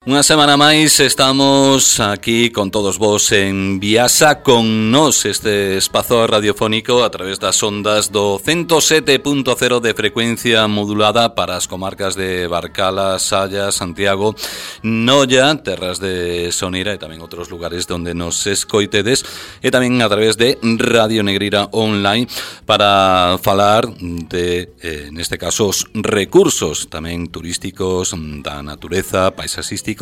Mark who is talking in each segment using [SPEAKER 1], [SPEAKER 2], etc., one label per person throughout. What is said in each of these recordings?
[SPEAKER 1] Unha semana máis estamos aquí con todos vos en Viasa con nos este espazo radiofónico a través das ondas do 107.0 de frecuencia modulada para as comarcas de Barcala, Salla, Santiago, Noia, terras de Soneira e tamén outros lugares onde nos escoitedes e tamén a través de Radio Negreira Online para falar de, neste caso, os recursos tamén turísticos da natureza, paisaxística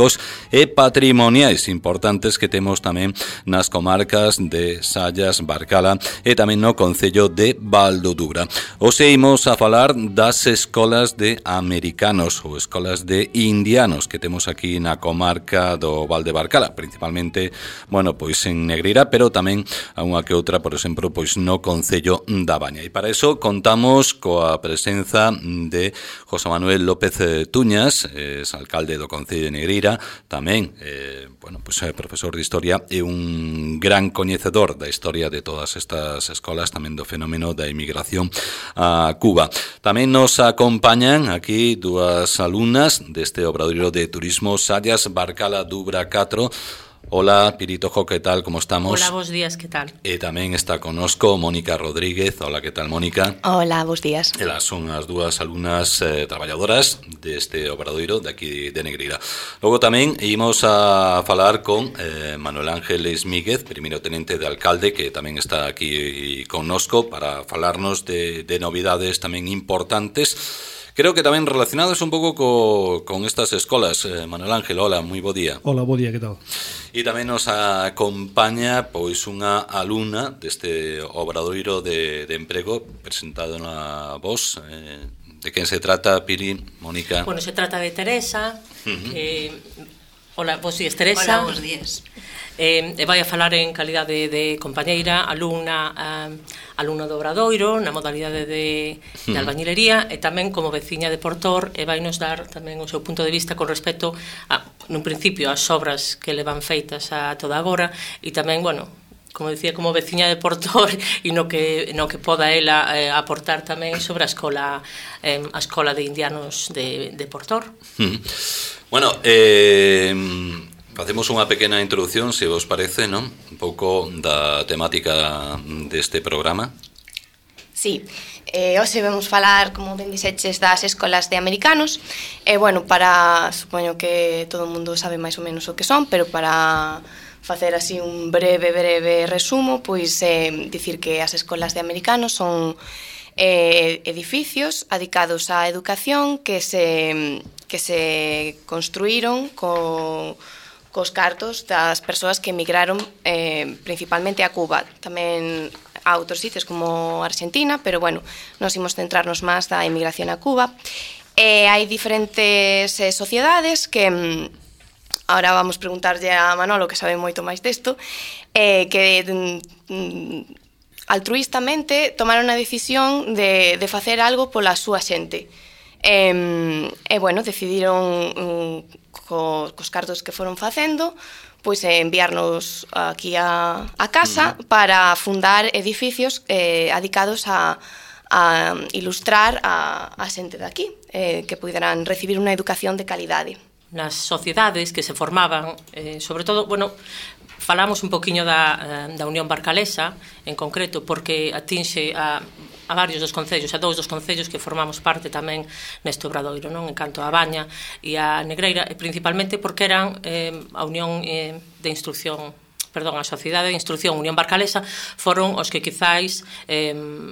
[SPEAKER 1] e patrimoniais importantes que temos tamén nas comarcas de Sallas, Barcala e tamén no concello de Valdodubra. Hoxe imos a falar das escolas de americanos ou escolas de indianos que temos aquí na comarca do Val de Barcala, principalmente, bueno, pois en Negreira, pero tamén a unha que outra, por exemplo, pois no concello da Baña. E para eso contamos coa presenza de José Manuel López Tuñas, es alcalde do concello de Negreira, tamén, bueno, pues, profesor de Historia e un gran coñecedor da historia de todas estas escolas, tamén do fenómeno da emigración a Cuba. Tamén nos acompañan aquí dúas alumnas deste obradoiro de turismo Sallas, Barcala, Dubra 4. Hola, Piritojo, ¿qué tal? ¿Cómo estamos?
[SPEAKER 2] Hola, bos días, ¿qué tal?
[SPEAKER 1] E tamén está conosco Mónica Rodríguez. Hola, ¿qué tal, Mónica?
[SPEAKER 3] Hola, bos días.
[SPEAKER 1] Elas son as dúas alumnas traballadoras deste obradoiro de aquí de Negreira. Logo tamén imos a falar con Manuel Ángel Esmíguez, primeiro tenente de alcalde, que tamén está aquí connosco para falarnos de novidades tamén importantes. Creo que tamén relacionados un pouco con estas escolas. Manuel Ángel, hola, moi bo día.
[SPEAKER 4] Hola, bo día, que tal?
[SPEAKER 1] E tamén nos acompaña pois unha alumna deste obradoiro de emprego presentado na voz. De quen se trata, Piri, Mónica?
[SPEAKER 2] Bueno, se trata de Teresa. Hola, bos días, Teresa.
[SPEAKER 3] Hola, bos días.
[SPEAKER 2] E vai a falar en calidade de compañeira, alumna do obradoiro, na modalidade de albañilería e tamén como veciña de Portor, e vai nos dar tamén o seu punto de vista con respecto a, nun principio, as obras que levan feitas a toda agora e tamén, bueno, como decía, como veciña de Portor e no que poda ela aportar tamén sobre a escola de indianos de Portor.
[SPEAKER 1] Bueno, facemos unha pequena introducción, se vos parece, non? Un pouco da temática deste programa.
[SPEAKER 3] Sí, hoxe vamos falar, como ben dixeches, das escolas de americanos. Bueno, supoño que todo o mundo sabe máis ou menos o que son, pero para facer así un breve resumo, pois dicir que as escolas de americanos son edificios adicados á educación que se construíron cos cartos das persoas que emigraron principalmente a Cuba, tamén a outros sitios como Argentina, pero bueno, nos imos centrarnos máis da emigración a Cuba. Hai diferentes sociedades que ahora vamos preguntarlle a Manolo, que sabe moito máis desto, que altruistamente tomaron a decisión de facer algo pola súa xente. Bueno, decidiron cos cartos que foron facendo, pois enviarnos aquí a casa para fundar edificios adicados a ilustrar a xente de aquí, que puderan recibir unha educación de calidade.
[SPEAKER 2] Nas sociedades que se formaban, sobre todo, bueno, falamos un poquinho da Unión Barcalesa, en concreto, porque atinxe a varios dos concellos, a 2 dos concellos que formamos parte tamén neste obradoiro, non? En canto a Baña e a Negreira, e principalmente porque eran a Unión de Instrucción, a Sociedade de Instrucción Unión Barcalesa, foron os que quizáis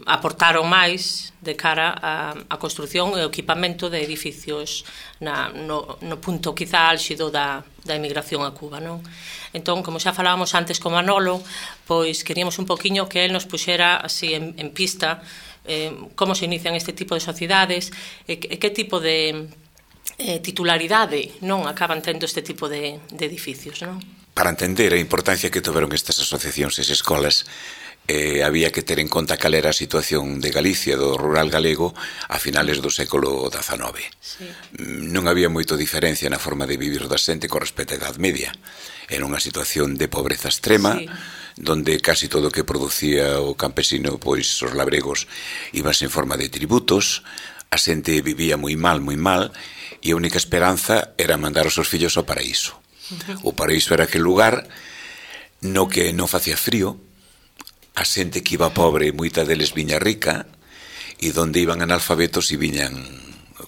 [SPEAKER 2] aportaron máis de cara a construción e o equipamento de edificios no punto quizá álxido da emigración a Cuba, non? Entón, como xa falábamos antes con Manolo, pois queríamos un poquinho que él nos puxera así en pista como se inician este tipo de sociedades e que tipo de titularidade non acaban tendo este tipo de edificios, non?
[SPEAKER 5] Para entender a importancia que tiveron estas asociacións e escolas, había que ter en conta cal era a situación de Galicia, do rural galego, a finales do século XIX.
[SPEAKER 2] Sí.
[SPEAKER 5] Non había moito diferencia na forma de vivir da xente con respecto á Edad Media. Era unha situación de pobreza extrema, sí, donde casi todo o que producía o campesino, pois os labregos, ibas en forma de tributos, a xente vivía moi mal, e a única esperanza era mandar os seus fillos ao paraíso. O paraíso era aquel lugar no que non facía frío, a xente que iba pobre, moita deles viña rica, e donde iban analfabetos e viñan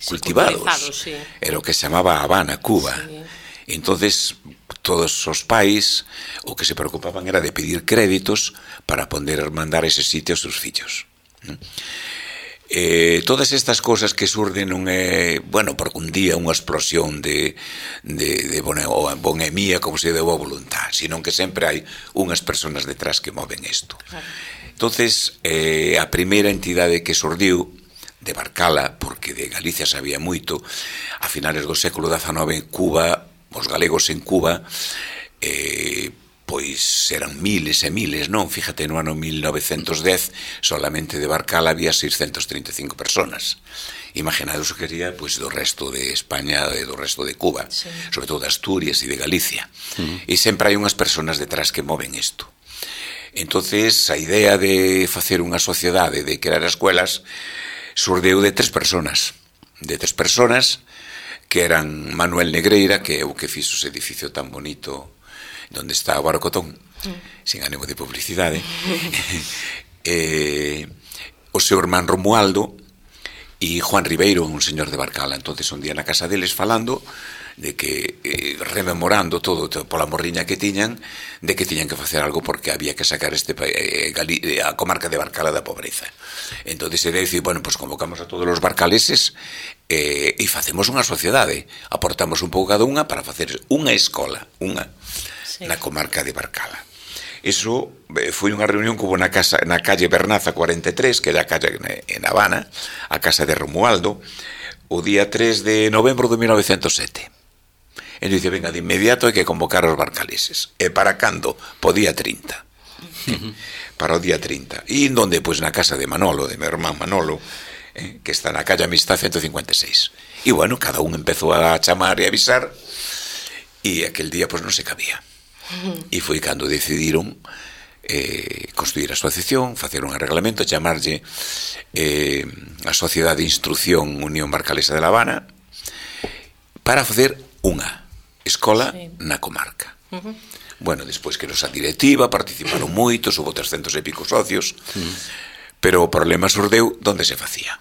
[SPEAKER 5] cultivados.
[SPEAKER 2] Sí.
[SPEAKER 5] Era o que se chamaba Habana, Cuba.
[SPEAKER 2] Sí.
[SPEAKER 5] Entonces, todos os pais o que se preocupaban era de pedir créditos para poder mandar ese sitio aos seus fillos. Todas estas cosas que surden non é, bueno, porque un día unha explosión de bonemía como se deu a voluntad, sino que sempre hai unhas persoas detrás que moven isto. Claro. Entonces, a primeira entidade que surdiu de Barcala, porque de Galicia sabía moito, a finales do século XIX, Cuba, os galegos en Cuba, pois eran miles e miles, non? Fíjate, no ano 1910 solamente de Barcala había 635 personas. Imaginados o que sería pois, do resto de España e do resto de Cuba, sí. Sobre todo de Asturias e de Galicia. E sempre hai unhas personas detrás que moven isto. Entonces, a idea de facer unha sociedade, de crear escuelas, surdeu de tres personas. De tres personas que eran Manuel Negreira, que é o que fixo ese edificio tan bonito donde está o Barocotón, sin ánimo de publicidade, o seu irmán Romualdo e Juan Ribeiro, un señor de Barcala. Entonces un día na casa deles falando de que, rememorando todo pola morriña que tiñan, de que tiñan que facer algo porque había que sacar a comarca de Barcala da pobreza. Entonces ele dicir, bueno, pues convocamos a todos os barcaleses e facemos unha sociedade, aportamos un pouco cada unha para facer unha escola, na comarca de Barcala. Eso foi unha reunión que hubo na calle Bernaza 43, que é a calle en Habana, a casa de Romualdo, o día 3 de novembro de 1907. E dice, venga, de inmediato hai que convocar os barcaleses. E para cando? Po día 30. Para o día 30. E onde? Pois na casa de Manolo, de meu irmán Manolo, que está na calle Amistad 156. E bueno, cada un empezou a chamar e avisar, e aquel día pois non se cabía. E foi cando decidiron construir a asociación, facer un arreglamento, chamarlle a Sociedade de Instrucción Unión Barcalesa de La Habana, para facer unha escola na comarca. Bueno, despois que nos a directiva participaron moitos, hubo 300 e pico socios, pero o problema surdeu donde se facía.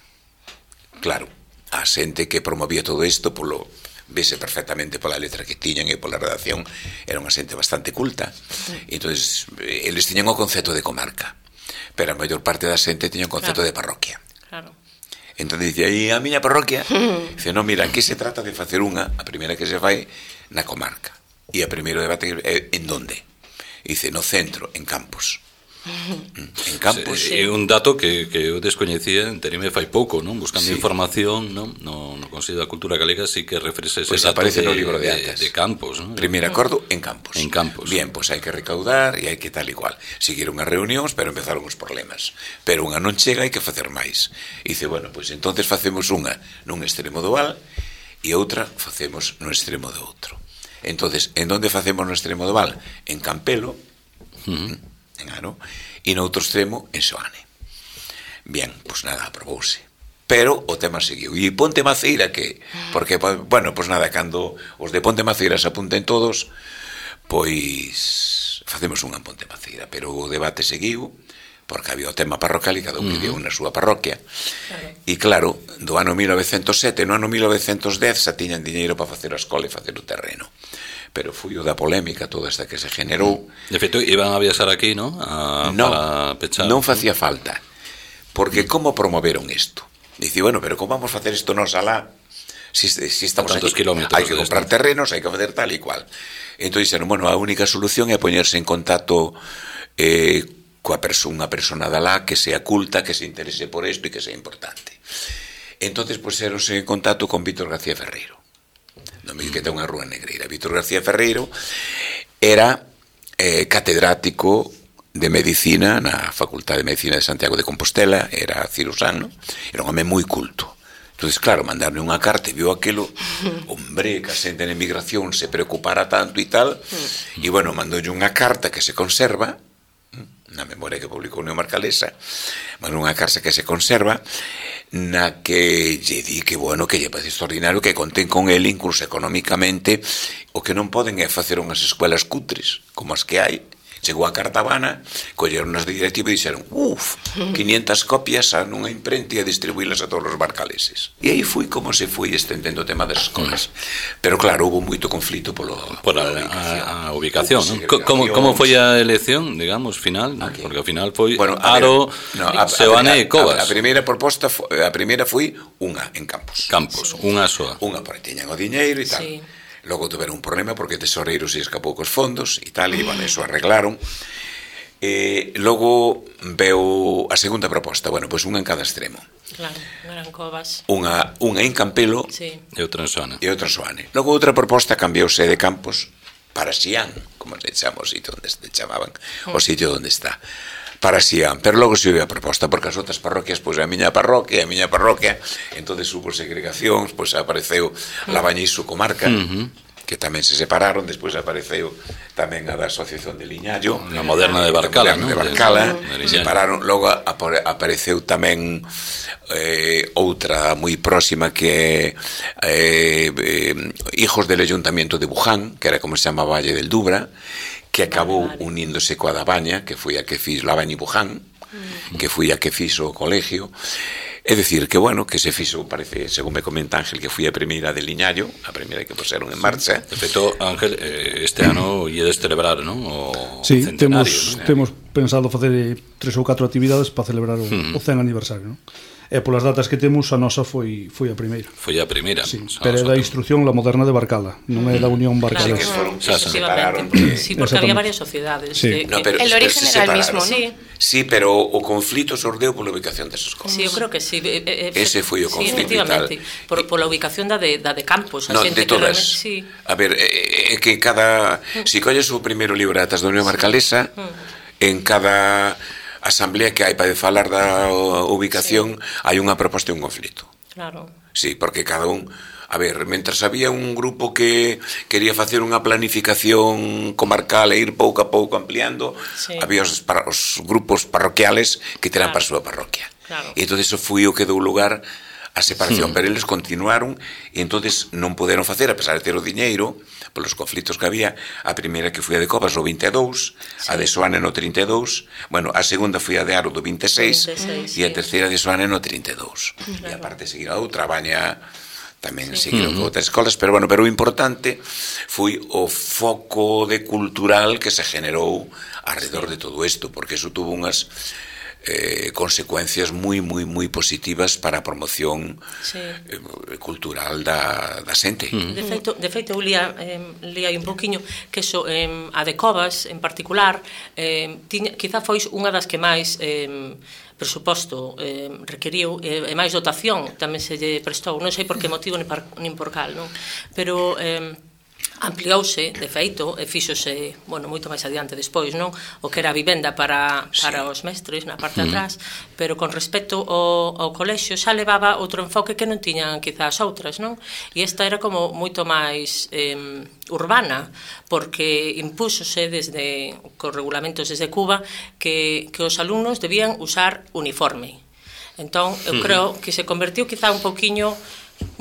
[SPEAKER 5] Claro, a xente que promovía todo isto vese perfectamente pola letra que tiñan e pola redacción, era unha xente bastante culta. Entonces, eles tiñan o concepto de comarca, pero a maior parte da xente tiña o concepto de parroquia.
[SPEAKER 2] Claro.
[SPEAKER 5] Entón dice, aí a miña parroquia, dice, non, mira, aquí se trata de facer unha, a primeira que se fai na comarca. E o primeiro debate é en donde? Dice, no centro, en Campos. En Campos.
[SPEAKER 1] É un dato que eu descoñecía, enterime fai pouco, non? Buscando información, non? No Consello da Cultura Galega sí que refresca ese dato
[SPEAKER 5] aparece no libro de actas.
[SPEAKER 1] De Campos, non?
[SPEAKER 5] Primeiro acordo en Campos.
[SPEAKER 1] En Campos.
[SPEAKER 5] Bien, pois hai que recaudar e hai que tal igual. Seguiron as reunións, pero empezaron os problemas. Pero unha non chega, hai que facer máis. E dice, bueno, pois entonces facemos unha nun extremo do val e outra facemos no extremo do outro. Entonces, en onde facemos no extremo do val? En Campelo, en Aro, e no outro extremo en Soane. Bien, pois nada, aprobouse. Pero o tema seguiu. E Ponte Maceira que? Porque, bueno, pois nada, cando os de Ponte Maceira se apunten todos, pois facemos unha en Ponte Maceira. Pero o debate seguiu, porque había o tema parroquial e cada un pediu na súa parroquia. E claro, do ano 1907, no ano 1910 xa tiñan diñeiro para facer a escola e facer o terreno. Pero foi o da polémica toda esta que se generou.
[SPEAKER 1] De feito, iban a viaxar aquí, non?
[SPEAKER 5] Para pechar. Non facía falta. Porque como promoveron isto? Dice, bueno, pero como vamos a facer isto nos alá? Si estamos aquí, hai que comprar terrenos, hai que facer tal e cual. Entón dixeron, bueno, a única solución é poñerse en contacto coa unha persona de alá que sea culta, que se interese por isto e que sea importante. Entón, puxeronse en contacto con Víctor García Ferreiro, que ten unha rúa en Negreira. Víctor García Ferreiro era catedrático de Medicina na Facultade de Medicina de Santiago de Compostela, era cirurxano, era un home moi culto. Entón, claro, mandarme unha carta e viu aquilo, hombre, que a xente en emigración se preocupara tanto e tal, e bueno, mandoulle unha carta que se conserva na memoria que publicou Unión Barcalesa, bueno, unha carta que se conserva, na que lle di que, bueno, que lle parece extraordinario que conten con el incluso económicamente, o que non poden é facer unhas escuelas cutres, como as que hai. Chegou a Cartabana, colleron as de directivo e dixeron 500 copias a nunha imprenta e a distribuílas a todos os barcaleses. E aí foi como se foi estendendo o tema das escolas. Pero claro, hubo moito conflito por
[SPEAKER 1] a ubicación, ¿no? Como foi a elección, digamos, final? ¿No? Porque ao final foi Haro, Seoane e Covas.
[SPEAKER 5] A primeira proposta, a primeira foi unha en Campos.
[SPEAKER 1] Campos, unha soa.
[SPEAKER 5] Unha, porque tiñan o diñeiro e tal.
[SPEAKER 2] Sí.
[SPEAKER 5] Logo tuveron un problema porque o tesoreiro se escapou cos fondos e tal, e bueno, eso arreglaron. Logo veo a segunda proposta, bueno, pois unha en cada extremo.
[SPEAKER 2] Claro, eran Covas.
[SPEAKER 5] Unha en Campelo
[SPEAKER 1] e outra en
[SPEAKER 5] Soane. Logo outra proposta cambiouse de Campos para Xián, como se chama o sitio onde se chamaban, o sitio onde está. Para Xián, pero logo se houve a proposta porque as outras parroquias, pois a miña parroquia, entonces hubo segregacións, pois apareceu Labañizo comarca, que tamén se separaron, despois apareceu tamén a da Asociación de Liñallo,
[SPEAKER 1] a moderna de Barcala,
[SPEAKER 5] separaron, logo apareceu tamén outra moi próxima que Hijos del Ayuntamiento de Buján, que era como se chama Valle del Dubra, que acabou uníndose coa da Baña, que foi a que fiz Labaña e Buján, que foi a que fixo o colegio. É dicir, que bueno, que se fixo, parece, según me comenta Ángel, que foi a primeira de Liñallo, a primeira que puseron en marcha.
[SPEAKER 1] De feito, Ángel, este ano iedes celebrar, non? O
[SPEAKER 4] centenario, temos pensado facer 3 ou 4 actividades para celebrar o 100 aniversario, non? E polas datas que temos, a nosa foi a primeira.
[SPEAKER 1] Foi a primeira.
[SPEAKER 4] Sí, pero é da instrucción La Moderna de Barcala, non é da Unión Barcalesa.
[SPEAKER 2] Sí, porque había varias sociedades.
[SPEAKER 3] El origen era el mismo, ¿no?
[SPEAKER 5] Sí, pero o conflito sordeu pola ubicación desas escolas.
[SPEAKER 2] Sí, eu creo que sí.
[SPEAKER 5] Ese foi o conflito e tal.
[SPEAKER 2] Pola ubicación da de Campos.
[SPEAKER 5] No, de todas. A ver, é que cada... Si colles o primeiro libro de atas da Unión Barcalesa, en cada asamblea que hai para falar da ubicación hai unha proposta e un conflito.
[SPEAKER 2] Claro.
[SPEAKER 5] Sí, porque cada un... A ver, mentras había un grupo que quería facer unha planificación comarcal e ir pouco a pouco ampliando, había os grupos parroquiales que teran para a súa parroquia. E entón eso foi o que deu lugar a separación, pero eles continuaron e entonces non poderon facer, a pesar de ter o diñeiro, polos conflitos que había, a primeira que foi a de Covas no 22, a de Soane no 32, bueno, a segunda foi a de Haro do 26 e a terceira de Soane no 32. E aparte seguir a outra, a Baña tamén seguiron con outras escolas, pero bueno, pero o importante foi o foco de cultural que se generou alrededor de todo isto, porque eso tuvo unhas consecuencias moi positivas para a promoción cultural da xente.
[SPEAKER 2] De feito, eu lía un poquinho que eso, a de Covas en particular, quizá foi unha das que máis presuposto requeriu e máis dotación tamén se lle prestou, non sei por que motivo nin por cal, non? Pero ampliouse, de feito, e fíxose, bueno, moito máis adiante despois, non? O que era a vivenda para os mestres na parte de atrás, pero con respecto ao colexio xa levaba outro enfoque que non tiñan quizás outras, non? E esta era como moito máis urbana, porque impúxose desde cos regulamentos desde Cuba que os alumnos debían usar uniforme. Entón, eu creo que se convertiu quizá un pouquiño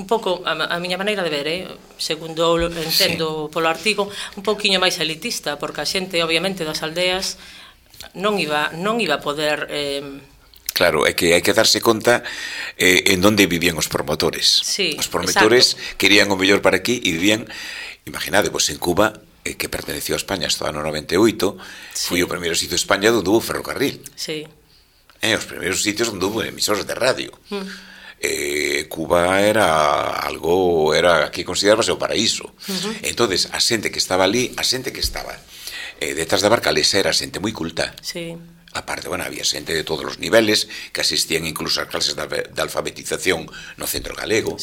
[SPEAKER 2] un pouco, a miña maneira de ver, segundo entendo polo artigo, un pouquiño máis elitista, porque a xente, obviamente, das aldeas non iba a poder...
[SPEAKER 5] Claro, é que hai que darse conta en onde vivían os promotores. Os promotores querían o mellor para aquí e vivían, imaginade, pois en Cuba, que perteneció a España hasta o ano 98, foi o primeiro sitio de España onde hubo ferrocarril. Os primeiros sitios onde hubo emisores de radio. Cuba era algo, aquí considerábase o paraíso. Entonces, a xente que estaba ali, a xente que estaba detrás da Barcalesa era xente moi culta. Aparte, bueno, había xente de todos os niveles que asistían incluso ás clases de alfabetización no centro galego.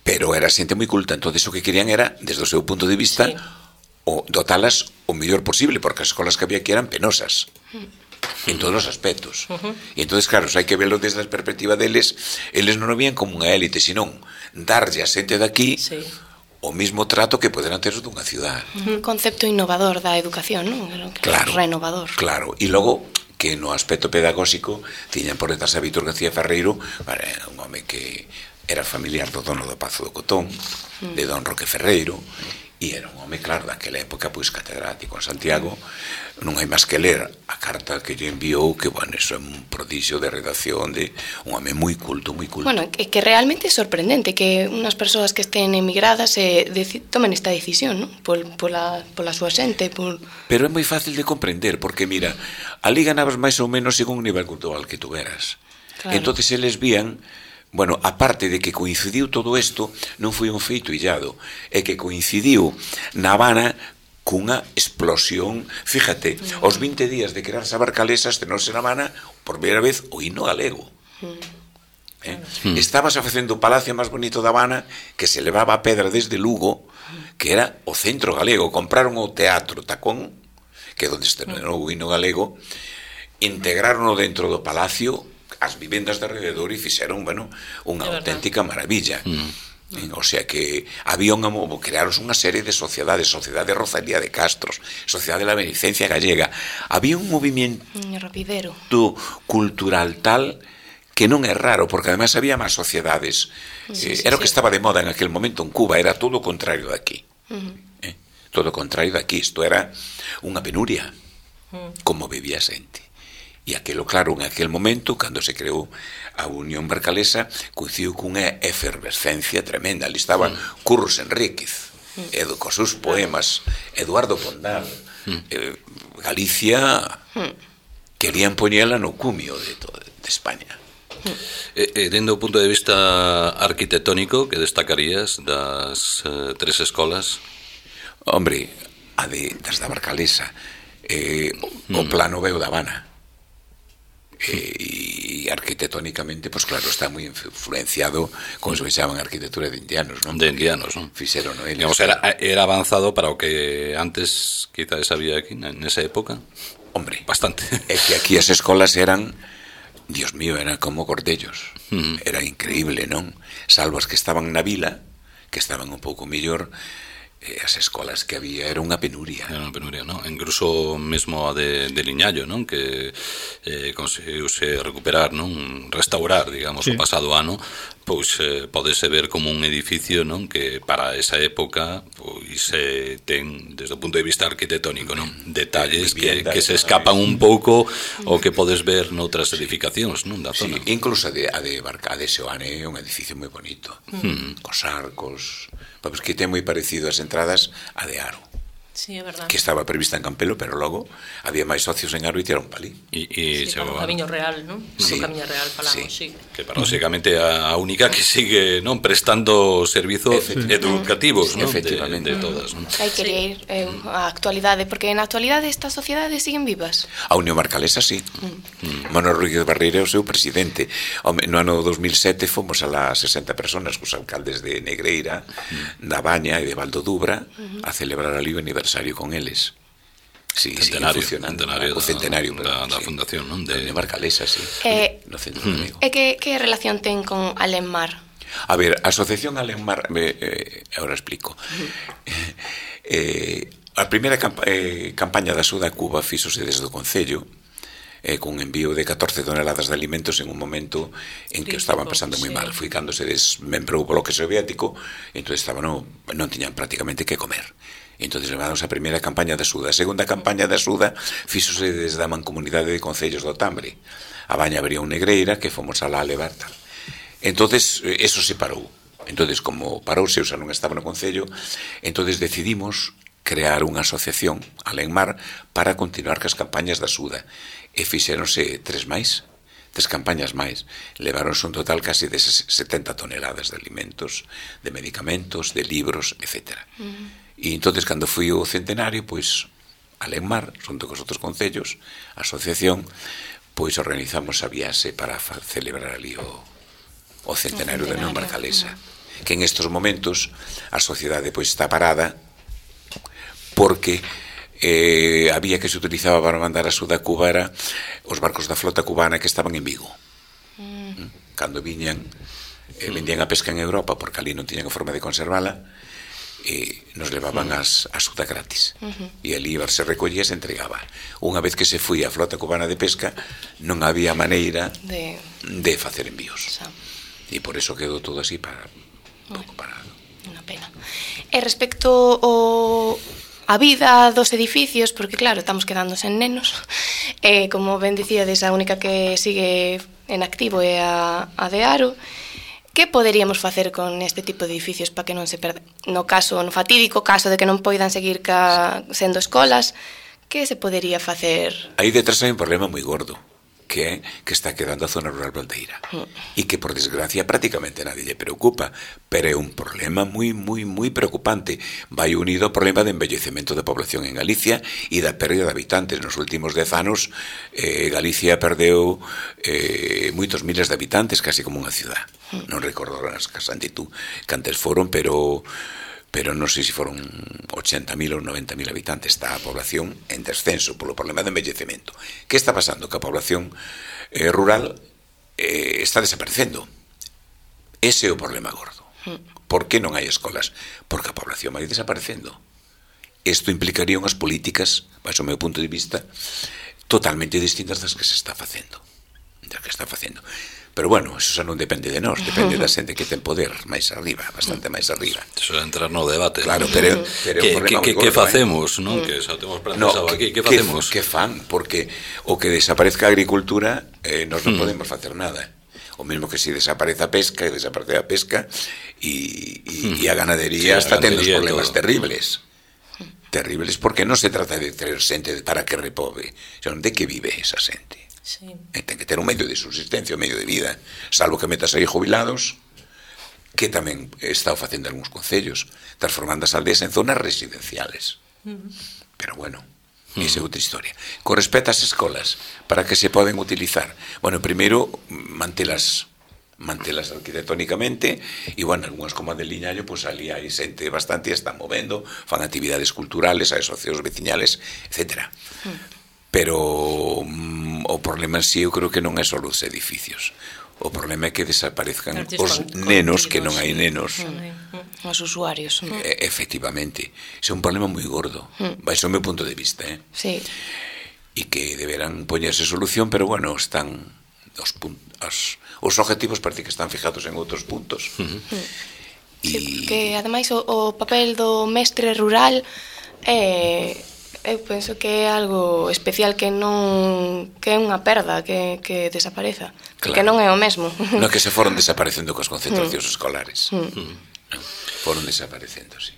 [SPEAKER 5] Pero era xente moi culta, entonces o que querían era, desde o seu punto de vista, dotalas o mellor posible, porque as escolas que había aquí eran penosas en todos os aspectos. E entonces, claro, hai que verlo desde a perspectiva deles. Eles non o vían como unha élite, senón darlle a xente de aquí o mismo trato que poderán ter os dunha ciudad.
[SPEAKER 3] Un concepto innovador da educación, non?
[SPEAKER 5] Claro,
[SPEAKER 3] renovador.
[SPEAKER 5] Claro, e logo que no aspecto pedagóxico tiñan por detrás a Vítor García Ferreiro, un home que era familiar do dono do Pazo do Cotón, de don Roque Ferreiro, e era un home, claro, daquela época, pois catedrático en Santiago. Non hai máis que ler a carta que lle enviou, que, bueno, eso é un prodigio de redacción, de un home moi culto, moi culto.
[SPEAKER 3] Bueno, é que realmente é sorprendente que unhas persoas que estén emigradas tomen esta decisión, non? Pola súa xente,
[SPEAKER 5] Pero é moi fácil de comprender, porque, mira, ali ganabas máis ou menos según o nivel cultural que tuveras. Claro. Entonces eles vían... Bueno, aparte de que coincidiu todo isto, non foi un feito illado, é que coincidiu na Habana cunha explosión. Fíjate, aos 20 días de crearse a Barcalesa, estrenose na Habana por primeira vez o himno galego. Estabas facendo o palacio máis bonito da Habana, que se levaba a pedra desde Lugo, que era o centro galego. Compraron o Teatro Tacón, que é onde estrenou o himno galego, integraron dentro do palacio as vivendas de alrededor e fixeron, bueno, unha auténtica maravilla. O sea que había crearos unha serie de sociedades, Sociedade Rosalía de Castros, Sociedade de la Beneficencia Gallega. Había un movimiento cultural tal que non é raro, porque además había máis sociedades. Era o que estaba de moda en aquel momento en Cuba, era todo o contrario de aquí. Todo o contrario de aquí. Isto era unha penuria, como vivía a xente. E aquilo, claro, en aquel momento, cando se creou a Unión Barcalesa, coincidiu cunha efervescencia tremenda. Ali estaba Curros Enríquez, cos seus poemas, Eduardo Pondal, Galicia, querían poñela no cumio de España.
[SPEAKER 1] Dende o punto de vista arquitectónico, que destacarías das tres escolas?
[SPEAKER 5] Hombre, das da Barcalesa, o plano veo da Habana. E arquitectónicamente, pues claro, está moi influenciado como se chaman arquitectura de indianos, non?
[SPEAKER 1] De indianos, non?
[SPEAKER 5] Fixeron, non?
[SPEAKER 1] Digamos, era avanzado para o que antes quizás había aquí nesa época.
[SPEAKER 5] Hombre,
[SPEAKER 1] bastante.
[SPEAKER 5] É que aquí as escolas eran, Dios mío, eran como cordellos. Era increíble, non? Salvo as que estaban na vila, que estaban un pouco mellor. As escolas que había era unha penuria.
[SPEAKER 1] Era unha penuria, non? Incluso mesmo a de Liñallo, non? Que conseguiuse recuperar, non? Restaurar, digamos, o pasado ano, pois podese ver como un edificio, non? Que para esa época pois ten, desde o punto de vista arquitectónico, non? Detalles que se escapan un pouco o que podes ver noutras edificacións, non? Da zona.
[SPEAKER 5] Incluso a de Seoane é un edificio moi bonito, cos arcos, pois que ten moi parecido as entradas a de Aro.
[SPEAKER 2] Sí, é verdade.
[SPEAKER 5] Que estaba prevista en Campelo, pero logo había máis socios en Aro e tiraron palí.
[SPEAKER 2] Para o Camiño Real, non?
[SPEAKER 5] Sí.
[SPEAKER 2] O Camiño Real falamos, sí.
[SPEAKER 1] Que básicamente a única que sigue, non, prestando servizos educativos, non?
[SPEAKER 5] Efectivamente.
[SPEAKER 1] De todas, non?
[SPEAKER 3] Hai que ir a actualidade, porque na actualidade estas sociedades siguen vivas.
[SPEAKER 5] A Unión Barcalesa, sí. Manuel Rodríguez Barreira é o seu presidente. No ano 2007 fomos a las 60 personas cos alcaldes de Negreira, da Baña e de Valdo Dubra a celebrar ali o aniversario con eles. Sí,
[SPEAKER 1] centenario,
[SPEAKER 5] o centenario
[SPEAKER 1] da fundación, non?
[SPEAKER 5] De Unión Barcalesa, sí. No Centro de Amigo.
[SPEAKER 3] E que relación ten con Alenmar?
[SPEAKER 5] A ver, a Asociación Alenmar, agora explico. A primeira campaña da Suda Cuba fíxose desde o Concello, con envío de 14 toneladas de alimentos en un momento en que estaban pasando moi mal. Foi cando se desmembrou o bloque soviético, entón non tiñan prácticamente que comer. Entón levamos a primeira campaña da Suda. A segunda campaña da Suda fíxose desde a Mancomunidade de Concellos do Tambre. A Baña Brión Negreira, que fomos a la levar tal. Entón, eso se parou. Entón, como parouse, xa non estaba no Concello, entón decidimos crear unha asociación, Alenmar, para continuar cas campañas da Suda. E fixéronse tres campañas máis. Leváronse un total casi de 70 toneladas de alimentos, de medicamentos, de libros, etc. E entonces, cando fui o centenario, pois, Alenmar, xunto cos outros concellos, a asociación, pois organizamos a viaxe para celebrar ali o centenario de Unión Barcalesa. Que en estes momentos a sociedade pois está parada porque había que se utilizaba para mandar a Suda a Cuba era os barcos da flota cubana que estaban en Vigo. Cando viñan vendían a pesca en Europa porque ali non tiñan a forma de conservala, nos levaban as suda gratis. E ali se recollía e se entregaba. Unha vez que se foi a flota cubana de pesca, non había maneira de facer envíos. E por eso quedou todo así pouco parado.
[SPEAKER 3] Unha pena. E respecto a vida dos edificios, porque claro, estamos quedando sen nenos, como ben dicíades, a única que sigue en activo é a de Aro. Que poderíamos facer con este tipo de edificios para que non se perda? No fatídico caso de que non poidan seguir sendo escolas, que se podería facer?
[SPEAKER 5] Aí detrás hai un problema moi gordo, que está quedando a zona rural baldeira e que por desgracia prácticamente nadie lle preocupa, pero é un problema moi preocupante. Vai unido ao problema de envellecemento da población en Galicia e da pérdida de habitantes. Nos últimos 10 anos Galicia perdeu moitos miles de habitantes, casi como unha ciudad. Non recordo as cantitud cantes foron, pero non sei se foron 80.000 ou 90.000 habitantes. Está a población en descenso polo problema de envellecemento. Que está pasando? Que a población rural está desaparecendo. Ese é o problema gordo. Por que non hai escolas? Porque a población vai desaparecendo. Isto implicaría unhas políticas, baixo o meu punto de vista, totalmente distintas das que se está facendo. Pero bueno, eso xa non depende de nós, depende da xente que ten poder máis arriba, bastante máis arriba.
[SPEAKER 1] Eso é entrar no debate.
[SPEAKER 5] Claro, pero
[SPEAKER 1] que facemos, non? Que xa temos pensado aquí, que facemos?
[SPEAKER 5] Que fan, porque o que desaparezca a agricultura, nós non podemos facer nada. O mesmo que se desaparece a pesca, e a ganadería está tendo os problemas terribles. Terribles, porque non se trata de ter xente para que repobe, senón de que vive esa xente. Sí. Ten que ter un medio de subsistencia, un medio de vida, salvo que metas aí jubilados, que tamén está facendo algúns concellos, transformando as aldeas en zonas residenciales. Pero bueno, esa é outra historia. Con respecto ás escolas, para que se poden utilizar, bueno, primeiro, mantelas arquitectónicamente, e bueno, algunhas como a de Liñallo, pois ali hai xente bastante, están movendo, fan actividades culturales, hai asociacións veciñales, etcétera. Pero o problema en sí eu creo que non é só os edificios. O problema é que desaparezcan os nenos, que non hai nenos.
[SPEAKER 3] Os usuarios.
[SPEAKER 5] Efectivamente. É un problema moi gordo. Baixo o meu punto de vista.
[SPEAKER 3] Sí.
[SPEAKER 5] E que deberán poñerse solución, pero bueno, están os objetivos parece que están fijados en outros puntos.
[SPEAKER 3] Sí, que ademais o papel do mestre rural eu penso que é algo especial, que é unha perda que desapareza, que non é o mesmo.
[SPEAKER 5] Non, que se foron desaparecendo cos concentracións escolares. Foron desaparecendo, sí.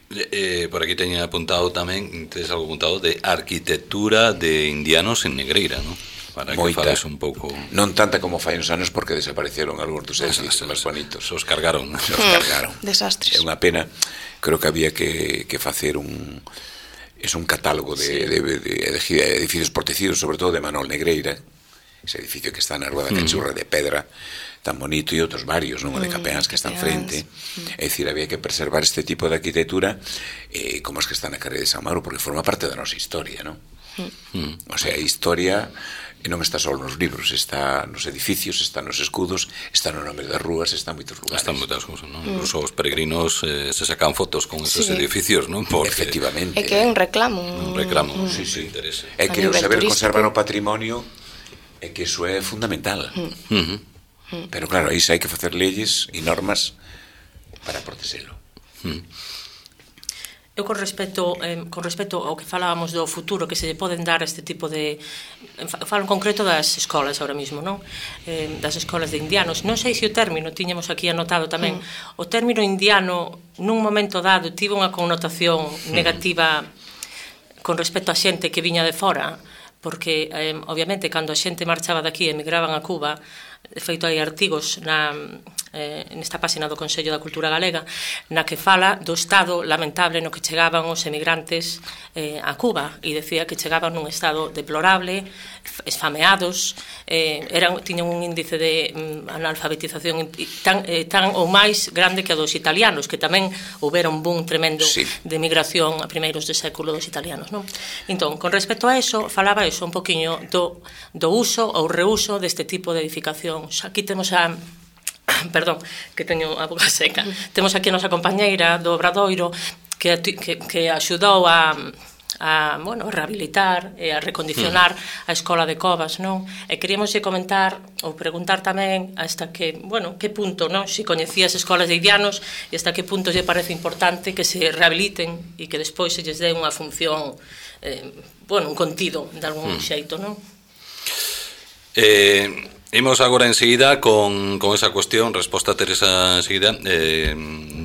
[SPEAKER 1] Por aquí teña apuntado tamén, tes algo apuntado de arquitectura de indianos en Negreira, non? Para que fales un pouco...
[SPEAKER 5] Non tanta como fai uns anos, porque desapareceron algúns dos edificios máis bonitos.
[SPEAKER 1] Os cargaron.
[SPEAKER 3] Desastres.
[SPEAKER 5] É unha pena. Creo que había que facer un catálogo de edificios protegidos, sobre todo de Manol Negreira, ese edificio que está na Rúa da Cachurra de pedra, tan bonito, e outros varios, non? O de Capeáns, que están frente. É dicir, había que preservar este tipo de arquitectura como as que están na carreira de San Mauro, porque forma parte da nosa historia, non? O sea, a historia non está só nos libros, está nos edificios, está nos escudos, está no nome das rúas, está en moitos lugares.
[SPEAKER 1] Están moitas cousas, non? Incluso os peregrinos se sacan fotos con esos edificios, non?
[SPEAKER 5] Efectivamente.
[SPEAKER 3] É que é un reclamo.
[SPEAKER 5] Sí. É que o saber conservar o patrimonio é que iso é fundamental. Pero claro, aí xa hai que facer leyes e normas para protexelo.
[SPEAKER 2] Eu con respecto ao que falábamos do futuro que se lle poden dar a este tipo de... Falo en concreto das escolas ahora mismo, non? Das escolas de indianos. Non sei se o término, tiñamos aquí anotado tamén, o término indiano nun momento dado tivo unha connotación negativa con respecto a xente que viña de fora, porque obviamente cando a xente marchaba daqui e emigraban a Cuba, de feito hai artigos nesta página do Consello da Cultura Galega na que fala do estado lamentable no que chegaban os emigrantes a Cuba, e decía que chegaban nun estado deplorable, esfameados, tiñan un índice de analfabetización tan ou máis grande que a dos italianos, que tamén houbera un boom tremendo de emigración a primeiros de século dos italianos, non? Entón, con respecto a eso, falaba eso un poquinho do uso ou reuso deste tipo de edificacións. Aquí temos perdón, que teño a boca seca. Temos aquí a nosa compañeira do Obradoiro, que axudou a rehabilitar e a recondicionar a escola de Covas, non? E queríamos comentar ou preguntar tamén hasta que punto, non? Se coñecía as escolas de Idianos e hasta que punto lle parece importante que se rehabiliten e que despois se lles dé unha función, un contido de algún xeito, non?
[SPEAKER 1] Imos agora enseguida con esa cuestión, resposta a Teresa enseguida.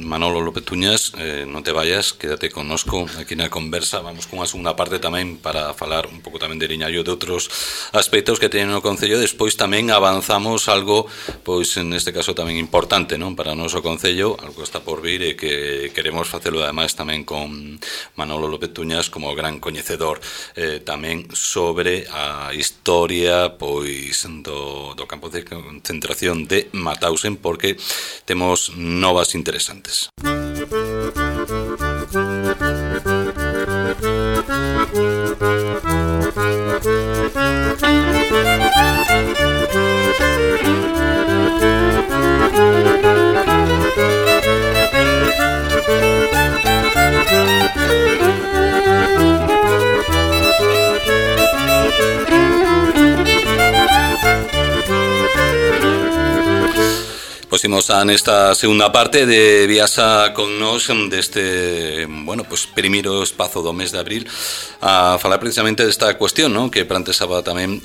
[SPEAKER 1] Manolo López Tuñas, non te vayas, quédate connosco aquí na conversa. Vamos con a segunda parte tamén para falar un pouco tamén de Liñallo de outros aspectos que teñen no Concello. Despois tamén avanzamos algo, pois neste caso tamén importante, non, para o noso Concello, algo que está por vir e que queremos facelo ademais tamén con Manolo López Tuñas como gran coñecedor tamén sobre a historia pois do campo de concentración de Mauthausen, porque temos novas interesantes. Pois imos a nesta segunda parte de Viasa con nos deste, primeiro espazo do mes de abril a falar precisamente desta cuestión, non? Que plantexaba tamén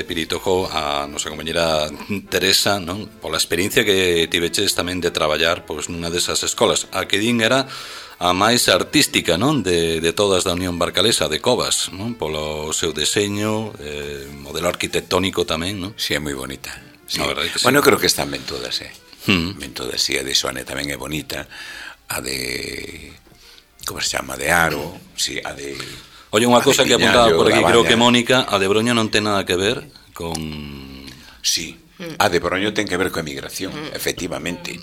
[SPEAKER 1] Piritojo a nosa compañera Teresa, non? Pola experiencia que tiveches tamén de traballar pois nunha desas escolas. A que din era a máis artística, non? De todas da Unión Barcalesa, de Covas, non? Polo seu deseño, modelo arquitectónico tamén, non?
[SPEAKER 5] Si, é moi bonita. Sí.
[SPEAKER 1] Sí.
[SPEAKER 5] Bueno, creo que están ben todas, ben todas, a de Soane tamén é bonita, a de, como se chama, de Aro, sí, a de...
[SPEAKER 1] Oye, unha cosa que apuntaba por aquí, creo que Mónica, a de Broña non ten nada que ver con...
[SPEAKER 5] Sí, a de Broño ten que ver coa emigración, efectivamente.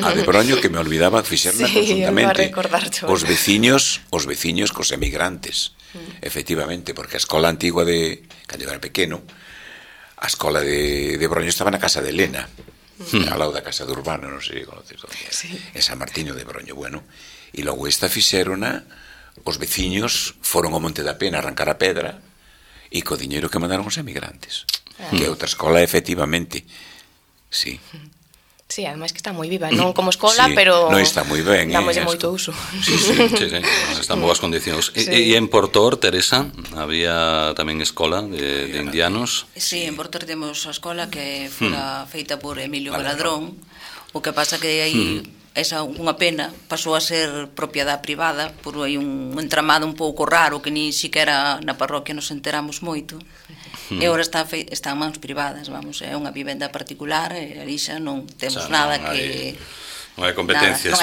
[SPEAKER 5] A de Broño, que me olvidaba fixerna conjuntamente, os veciños cos emigrantes, efectivamente, porque a escola antigua de, cando eu era pequeno, a escola de Broño estaba na casa de Elena, ao lado da casa de Urbano, non sei se conoces onde era, en San Martiño de Broño, e logo esta fixerona, os veciños foron ao Monte da Pena a arrancar a pedra e co diñeiro que mandaron os emigrantes, que é outra escola, efectivamente, sí.
[SPEAKER 3] Sí, ademais que está moi viva, non como escola, pero
[SPEAKER 5] non está moi ben,
[SPEAKER 3] dámoslle moito uso.
[SPEAKER 1] Sí, está en boas condicións. E en Portor, Teresa, había tamén escola de indianos?
[SPEAKER 6] Sí, en Portor temos a escola que fora feita por Emilio Galadrón. O que pasa que aí esa unha pena pasou a ser propiedade privada por aí un entramado un pouco raro que ni siquiera na parroquia nos enteramos moito. E agora está en mans privadas, é unha vivenda particular e ali xa non temos nada que...
[SPEAKER 1] Non hai competencias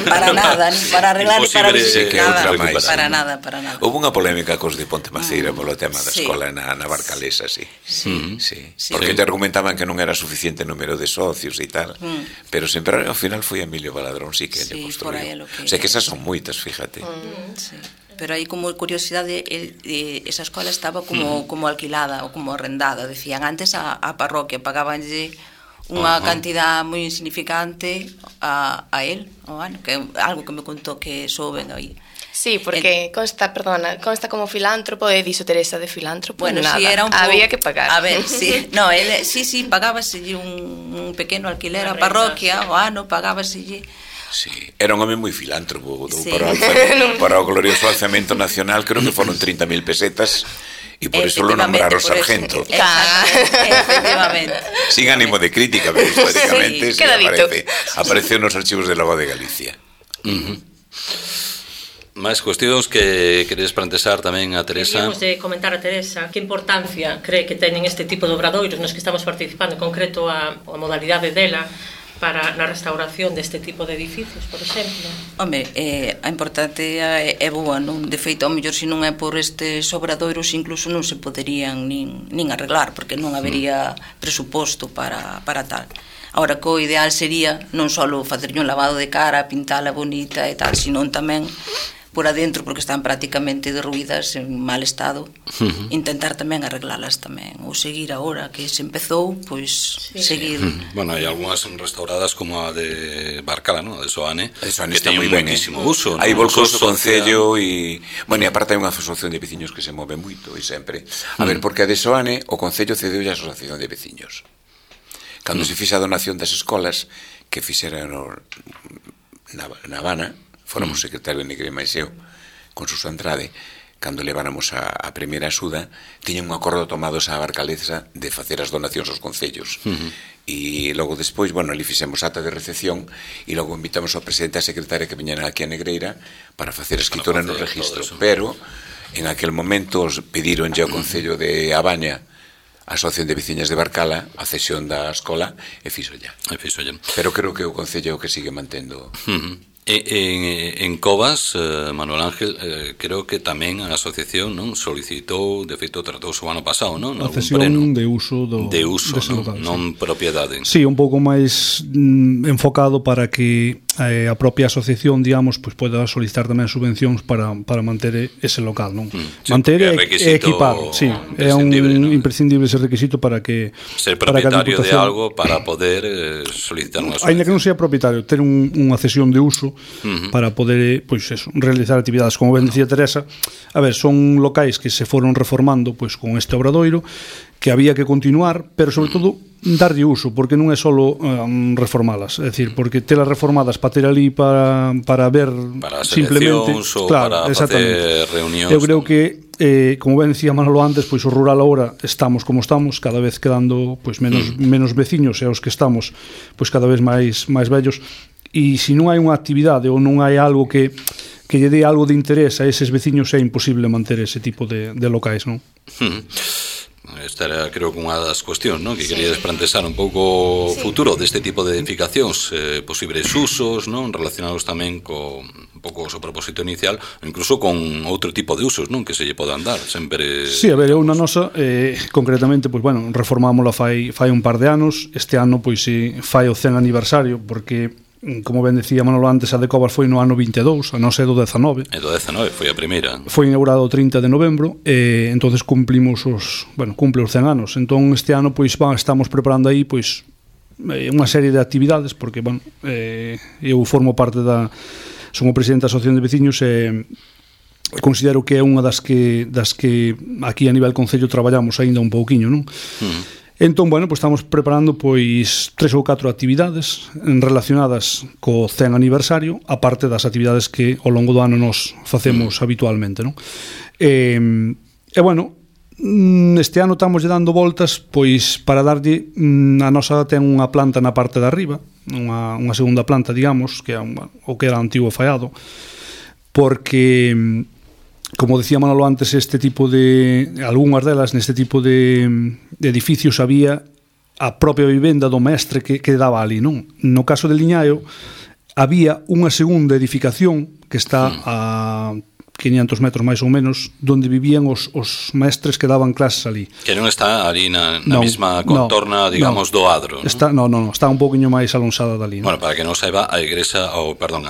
[SPEAKER 6] para nada, ni para arreglar ni para visitar, para nada.
[SPEAKER 5] Houve unha polémica cos de Ponte Maceira polo tema da escola na Barcalesa, sí. Porque te argumentaban que non era suficiente número de socios e tal, pero sempre ao final foi Emilio Galadrón, sí, que lle construiu. O sea que esas son moitas, fíjate.
[SPEAKER 6] Sí. Pero aí como curiosidade esa escola estaba como alquilada ou como arrendada, decían antes a parroquia pagabanlle unha cantidad moi insignificante a él, que é algo que me contou que souben aí.
[SPEAKER 3] Sí, porque consta como filántropo e dixo Teresa de filántropo,
[SPEAKER 6] bueno,
[SPEAKER 3] nada,
[SPEAKER 6] sí, era un
[SPEAKER 3] había que pagar.
[SPEAKER 6] A ver, sí, no, él sí pagábaselle un pequeno alquiler a parroquia, o ano pagábaselle.
[SPEAKER 5] Sí, era un home moi filántropo, para o glorioso alzamento nacional creo que foron 30.000 pesetas e por eso lo nombraron sargento.
[SPEAKER 6] Efectivamente.
[SPEAKER 5] Sin ánimo de crítica, pero históricamente aparece nos archivos de Lago de Galicia.
[SPEAKER 1] Máis cuestións que queres plantexar tamén a Teresa.
[SPEAKER 2] Queríamos de comentar a Teresa que importancia cree que teñen este tipo de obradoiros nos que estamos participando, en concreto a modalidade dela para na restauración deste tipo de edificios, por exemplo.
[SPEAKER 6] Home, a importante é boa, non? De feito, ao mellor se non é por estes obradoiros incluso non se poderían nin arreglar, porque non habería presuposto para tal. Ahora, que o ideal sería non só facerlle un lavado de cara, pintala bonita e tal, senón tamén por adentro porque están prácticamente derruídas en mal estado, intentar tamén arreglalas tamén, ou seguir agora que se empezou, pois seguir.
[SPEAKER 1] Bueno, hai algunhas restauradas como a de Barcala, ¿no? A de Soane, que
[SPEAKER 5] está
[SPEAKER 1] ten
[SPEAKER 5] moi ben,
[SPEAKER 1] moitísimo uso.
[SPEAKER 5] Aí volcouse o Concello e, bueno, e aparte hai unha asociación de veciños que se move moito e sempre. A ver, porque a de Soane o Concello cedeu a asociación de veciños. Cando se fixa a donación das escolas que fixeran na Habana, fóramos secretario de Negre Maiseo con Suso Andrade, cando leváramos a primeira axuda, tiñan un acordo tomados a Barcaleza de facer as donacións aos concellos. E logo despois, bueno, ali fixemos ata de recepción e logo invitamos ao presidente e a secretaria que viñeran aquí a Negreira para facer a escritura no registro. Pero, en aquel momento, pedironlle ao Concello de Abaña a Asociación de Veciñas de Barcala a cesión da escola e fixolla. Pero creo que o Concello que sigue mantendo.
[SPEAKER 1] En Covas, Manuel Ángel, creo que tamén a asociación solicitou, de feito tratouse o ano pasado, non?
[SPEAKER 4] A cesión de uso
[SPEAKER 1] non propiedade.
[SPEAKER 4] Sí, un pouco máis enfocado para que a propia asociación, digamos, pues poida solicitar tamén subvencións para manter ese local, non? Manter e equipar, sí, é un imprescindible ese requisito para que
[SPEAKER 1] ser propietario de algo para poder solicitar unha subvención.
[SPEAKER 4] Ainda que non sea propietario, ter unha cesión de uso para poder, pois eso, realizar actividades, como ben dicía Teresa. A ver, son locais que se foron reformando pois con este obradoiro, que había que continuar, pero sobre todo darlle uso, porque non é só reformalas, é dicir, porque telas reformadas para ter ali para ver
[SPEAKER 1] para
[SPEAKER 4] simplemente,
[SPEAKER 1] ou claro, para facer reunións.
[SPEAKER 4] Eu creo que como ben decía Manolo antes, pois o rural agora estamos como estamos, cada vez quedando pois menos veciños, e os que estamos pois cada vez máis vellos, e se non hai unha actividade ou non hai algo que lle dé algo de interés a eses veciños, é imposible manter ese tipo de locais, non?
[SPEAKER 1] Esta era, creo, unha das cuestións, non? Que queríades plantexar un pouco o futuro deste tipo de edificacións, posibles usos, non? Relacionados tamén co un pouco o seu propósito inicial, incluso con outro tipo de usos, non? Que se lle podan dar, sempre.
[SPEAKER 4] Sí, a ver, eu na nosa concretamente, pois bueno, reformámola fai un par de anos. Este ano pois fai o 100 aniversario, porque como ben decía Manolo antes, a de Covas foi no ano 22, a nosa é do 19.
[SPEAKER 1] É do 19, foi a primeira.
[SPEAKER 4] Foi inaugurado o 30 de novembro, entonces cumplimos cumple os 100 anos. Entón este ano pois estamos preparando aí pois unha serie de actividades, porque bueno, eu formo parte son o presidente da Asociación de Veciños e considero que é unha das que aquí a nivel concello traballamos aínda un pouquiño, non? Entón, bueno, pues estamos preparando pois 3 ou 4 actividades relacionadas co 100 aniversario, aparte das actividades que ao longo do ano nos facemos habitualmente, non? E bueno, este ano estamos dando voltas pois para darlle, a nosa ten unha planta na parte de arriba, unha segunda planta, digamos, que é o que era antigo faiado, porque como decía Manolo antes, este tipo algunhas delas, neste tipo de edificios había a propia vivenda do mestre que daba ali, non? No caso de Liñaio había unha segunda edificación que está a 500 metros máis ou menos, donde vivían os mestres que daban clases ali.
[SPEAKER 1] Que non está ali na mesma contorna, digamos, do adro, non?
[SPEAKER 4] Está un pouquiño máis alonsada dali, non?
[SPEAKER 1] Bueno, para que non saiba, a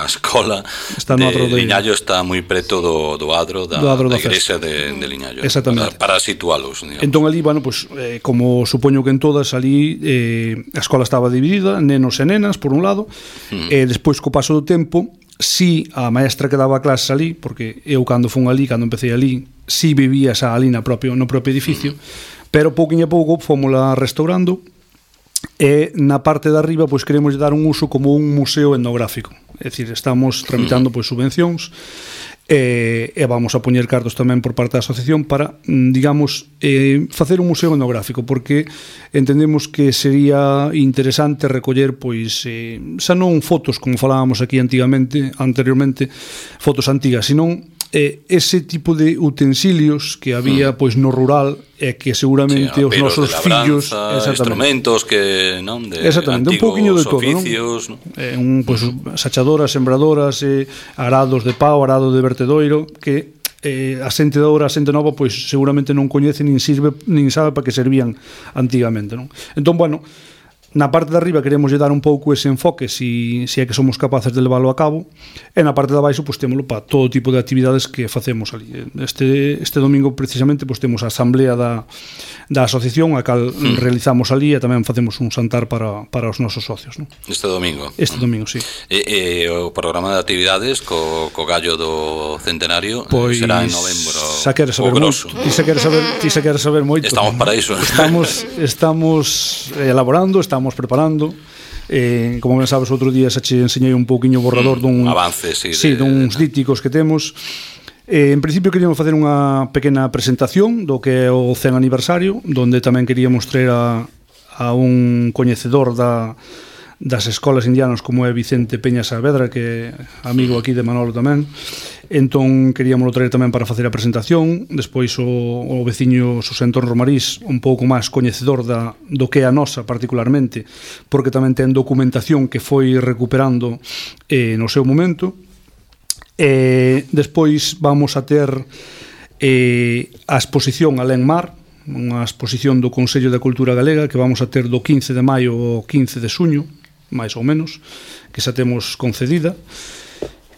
[SPEAKER 1] escola de Liñaio está moi preto do adro da igrexa de Liñaio.
[SPEAKER 4] Exactamente.
[SPEAKER 1] Para situalos, digamos.
[SPEAKER 4] Entón ali, bueno, pues, como supoño que en todas ali, a escola estaba dividida, nenos e nenas, por un lado, e despois, co paso do tempo, si a maestra que daba clases ali, porque eu cando fun ali, cando empecé ali, si vivía xa ali no propio edificio, pero pouquinho a pouco fomosla restaurando, e na parte de arriba pois queremos dar un uso como un museo etnográfico, é dicir, estamos tramitando pois subvencións e vamos a poñer cartos tamén por parte da asociación para, digamos, facer un museo etnográfico, porque entendemos que sería interesante recoller pois xa non fotos como falábamos aquí anteriormente, fotos antigas, senón ese tipo de utensilios que había pois no rural e que seguramente os nosos fillos,
[SPEAKER 1] instrumentos que non de
[SPEAKER 4] exactamente, un pouquiño de todo,
[SPEAKER 1] oficios,
[SPEAKER 4] non? Pois sachadoras, sembradoras, arados de pau, arado de vertedoiro, que a xente de agora, a xente nova, pois seguramente non coñece nin sabe para que servían antigamente, non? Entón, bueno, na parte de arriba queremos dar un pouco ese enfoque se é que somos capaces de leválo a cabo, e na parte de abaixo pois témolo para todo tipo de actividades que facemos ali. Este domingo precisamente pois temos a asamblea da asociación a cal realizamos ali, e tamén facemos un xantar para os nosos socios, non?
[SPEAKER 1] Este domingo,
[SPEAKER 4] sí.
[SPEAKER 1] E o programa de actividades co gallo do centenario
[SPEAKER 4] pois,
[SPEAKER 1] será en novembro.
[SPEAKER 4] Xa queres saber moito. Ti xa queres saber moito.
[SPEAKER 1] Estamos para iso.
[SPEAKER 4] Estamos elaborando, estamos preparando. Como ben sabes, outro día xa che enseñei un pouquiño borrador dun
[SPEAKER 1] avance,
[SPEAKER 4] duns díticos que temos. En principio queríamos facer unha pequena presentación do que é o 100 aniversario, donde tamén queríamos traer a un coñecedor das escolas indianas como é Vicente Peña Saavedra, que é amigo aquí de Manolo tamén. Entón queríamos traer tamén para facer a presentación. Despois o veciño Xosé Antón Romarís, un pouco máis coñecedor do que é a nosa particularmente, porque tamén ten documentación que foi recuperando no seu momento. Despois vamos a ter a exposición Alén Mar, unha exposición do Consello de Cultura Galega que vamos a ter do 15 de maio ao 15 de xuño, máis ou menos, que xa temos concedida,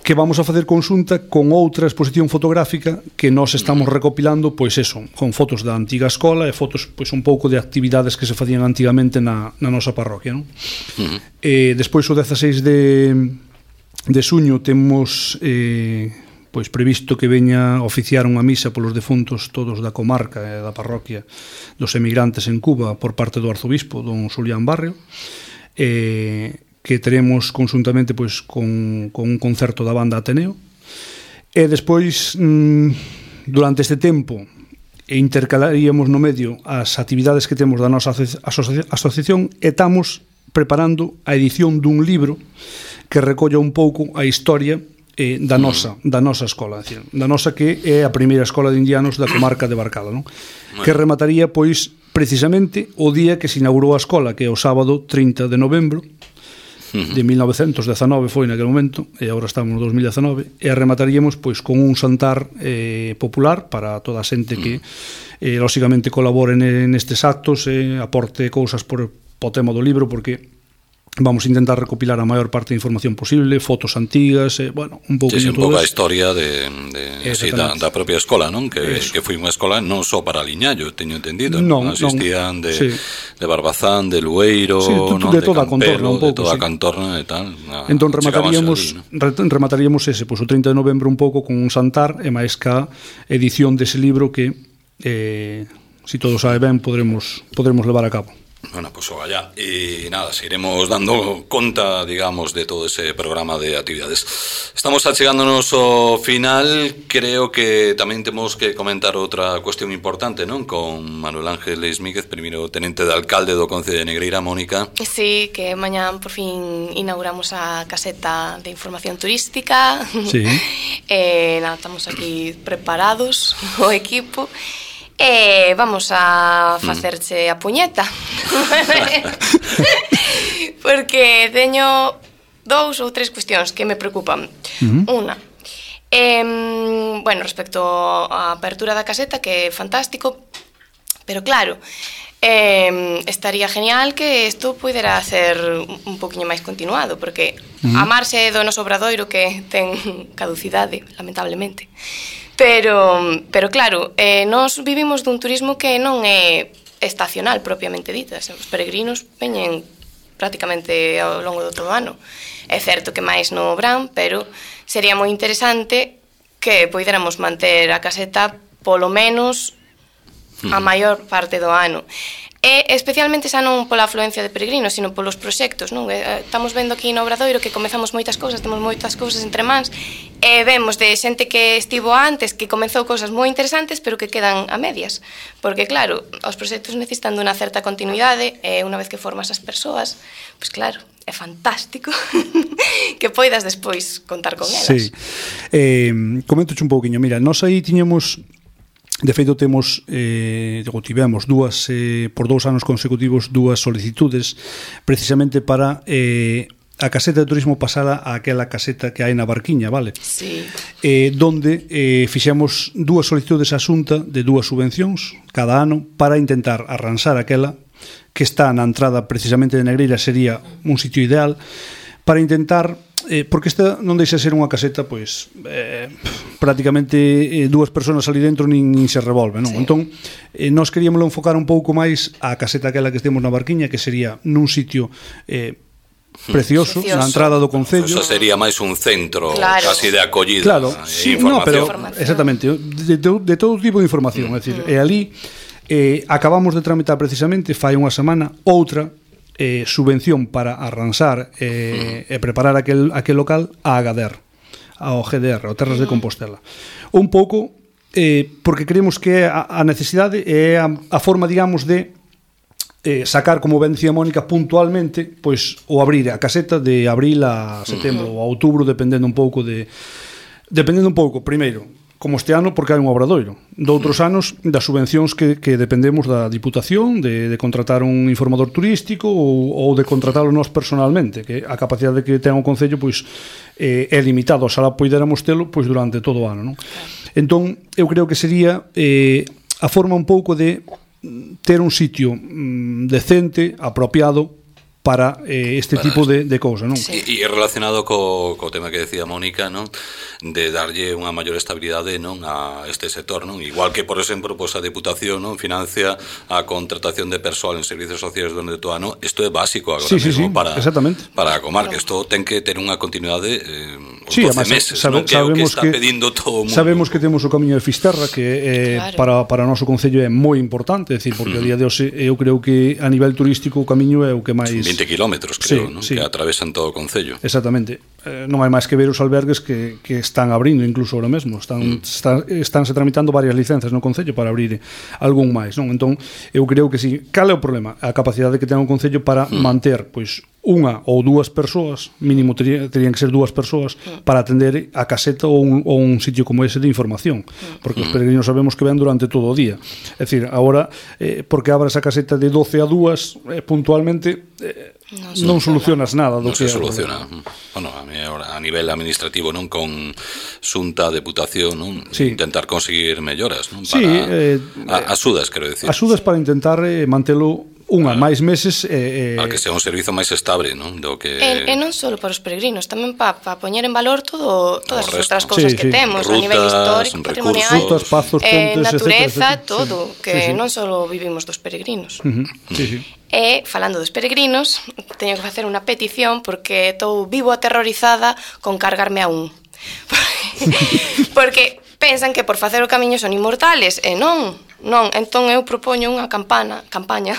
[SPEAKER 4] que vamos a facer conxunta con outra exposición fotográfica que nós estamos recopilando, pois eso, con fotos da antiga escola e fotos pois un pouco de actividades que se facían antigamente na nosa parroquia, non? Despois o 16 de xuño temos pois previsto que veña a oficiar unha misa polos defuntos todos da comarca e da parroquia dos emigrantes en Cuba por parte do arzobispo don Xulián Barrio, que teremos conxuntamente pois con un concerto da banda Ateneo. E despois durante este tempo intercalaríamos no medio as actividades que temos da nosa asociación, e estamos preparando a edición dun libro que recolla un pouco a historia da nosa escola, decir, da nosa que é a primeira escola de indianos da comarca de Barcala, non? Que remataría pois precisamente o día que se inaugurou a escola, que é o sábado 30 de novembro de 1919 foi naquele momento, e agora estamos no 2019, e remataríamos pois con un xantar popular para toda a xente que lóxicamente colabore nestes actos e aporte cousas por o tema do libro, porque vamos a intentar recopilar a maior parte de información posible, fotos antigas, bueno, un pouco
[SPEAKER 1] un pouco a historia da propia escola, non? Que foi unha escola non só para Liñallo, teño entendido, non asistían de Barbazán, de Lueiro,
[SPEAKER 4] de toda a contorna, un pouco,
[SPEAKER 1] de toda a contorna e tal.
[SPEAKER 4] Entón remataríamos ese, pois o 30 de novembro un pouco con un xantar e máis ca edición dese libro que se todo sabe ben podremos levar a cabo.
[SPEAKER 1] Bueno, pues vaya, y nada, seguiremos dando conta, digamos, de todo ese programa de actividades. Estamos achegándonos ao final. Creo que tamén temos que comentar outra cuestión importante, non? Con Manuel Ángel Leismíguez, primeiro tenente de alcalde do Concello de Negreira, Mónica.
[SPEAKER 3] Sí, que mañán por fin inauguramos a caseta de información turística.
[SPEAKER 4] Sí.
[SPEAKER 3] Nada, estamos aquí preparados, o equipo. Vamos a facerche a puñeta. Porque teño 2 ou 3 cuestións que me preocupan. Unha, bueno, respecto á apertura da caseta, que é fantástico, pero claro, estaría genial que isto pudera ser un poquinho máis continuado, porque a marxe do noso obradoiro que ten caducidade, lamentablemente. Pero claro, nós vivimos dun turismo que non é estacional propiamente dita. Os peregrinos veñen prácticamente ao longo do todo o ano. É certo que máis no verán, pero sería moi interesante que poidéramos manter a caseta polo menos a maior parte do ano. E especialmente xa non pola afluencia de peregrinos, sino polos proxectos, non? Estamos vendo aquí no Obradoiro que comezamos moitas cousas, temos moitas cousas entre mans, e vemos de xente que estivo antes, que comezou cousas moi interesantes, pero que quedan a medias. Porque, claro, os proxectos necesitan dunha certa continuidade, e unha vez que formas as persoas, pois claro, é fantástico que poidas despois contar con elas.
[SPEAKER 4] Sí. Coméntoche un pouquiño. Mira, nós aí tiñamos... De feito, tivemos dúas, por 2 anos consecutivos, 2 solicitudes precisamente para a caseta de turismo pasala a aquela caseta que hai na Barquiña, vale?
[SPEAKER 3] Sí.
[SPEAKER 4] Donde fixemos 2 solicitudes a Xunta de 2 subvencións cada ano para intentar arranxar aquela que está na entrada precisamente de Negreira, sería un sitio ideal para intentar, porque esta non deixa ser unha caseta pois prácticamente dúas persoas ali dentro nin se revolve, non? Sí. Entón, nós queríamoslo enfocar un pouco máis a caseta aquela que temos na Barquiña, que sería nun sitio precioso, na entrada do concello.
[SPEAKER 1] Eso sería máis un centro, claro, casi de acollida.
[SPEAKER 4] Claro, sí, no, pero exactamente, de todo tipo de información, é dicir, e ali acabamos de tramitar precisamente fai unha semana outra subvención para arranxar e preparar aquel local a Agader, ao GDR, ao Terras de Compostela. Un pouco porque creemos que a necesidade é a forma, digamos, de sacar, como ben dicía Mónica, puntualmente pois o abrir a caseta de abril a setembro ou a outubro, dependendo un pouco, primeiro, como este ano, porque hai un obradoiro. Doutros anos, das subvencións que dependemos da Diputación, de contratar un informador turístico ou de contratalo nós personalmente, que a capacidade que ten o Concello pois é limitado, oxalá poidéramos telo pois durante todo o ano, non? Entón, eu creo que sería a forma un pouco de ter un sitio decente, apropiado para este tipo de cousa, non?
[SPEAKER 1] Sí. E relacionado co tema que decía Mónica, non? De darlle unha maior estabilidade, non, a este sector, non? Igual que, por exemplo, pois a Deputación, non, financia a contratación de persoal en servicios sociais durante todo o ano. Isto é básico agora mesmo para a comarca. Isto ten que ter unha continuidade os 12 meses, non? Que é o que está pedindo todo o mundo.
[SPEAKER 4] Sabemos que temos o camiño de Fisterra, que claro, para o noso concello é moi importante, é dicir, porque a día de hoxe eu creo que a nivel turístico o camiño é o que máis
[SPEAKER 1] 20 kilómetros, creo, sí, ¿no? Sí. Que atravesan todo o concello.
[SPEAKER 4] Exactamente. Non hai máis que ver os albergues que están abrindo incluso ahora mesmo. Estánse tramitando varias licencias no concello para abrir algún máis, non? Entón, eu creo que sí. Cal é o problema? A capacidade que ten o concello para manter, pois, unha ou dúas persoas, mínimo terían que ser dúas persoas, para atender a caseta ou un sitio como ese de información, porque os peregrinos sabemos que ven durante todo o día. É dicir, agora, porque abras a caseta de 12 a 2 puntualmente, non solucionas nada do que
[SPEAKER 1] se soluciona. Bueno, a nivel administrativo, non, con Xunta, Deputación, non, sí, intentar conseguir melloras, non, para sí, axudas, quero decir.
[SPEAKER 4] Axudas para intentar mantelo máis meses
[SPEAKER 1] para que sea un servizo máis estable, non? Do que
[SPEAKER 3] e non só para os peregrinos, tamén para poñer en valor todas as outras cousas que temos, rutas, a nivel histórico, patrimonial,
[SPEAKER 4] rutas, pazos, pontes,
[SPEAKER 3] natureza,
[SPEAKER 4] etcétera.
[SPEAKER 3] Todo, que non só vivimos dos peregrinos.
[SPEAKER 4] Sí.
[SPEAKER 3] E, falando dos peregrinos, teño que facer unha petición porque estou vivo aterrorizada con cargarme a un. Porque pensan que por facer o camiño son inmortales, e non, entón eu propoño unha campaña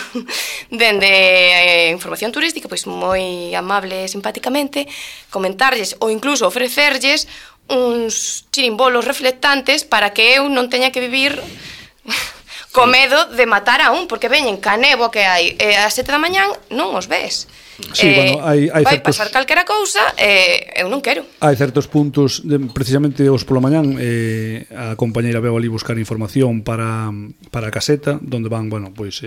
[SPEAKER 3] dende información turística, pois moi amable e simpaticamente, comentarlles ou incluso ofrecerlles uns chirimbolos reflectantes para que eu non teña que vivir co medo de matar a un, porque veñen ca néboa que hai ás 7 da mañán non os ves.
[SPEAKER 4] Sí, bueno, hai
[SPEAKER 3] vai pasar calquera cousa eu non quero.
[SPEAKER 4] Hai certos puntos, precisamente os pola mañán a compañeira veu ali buscar información para a caseta, donde van, bueno, pois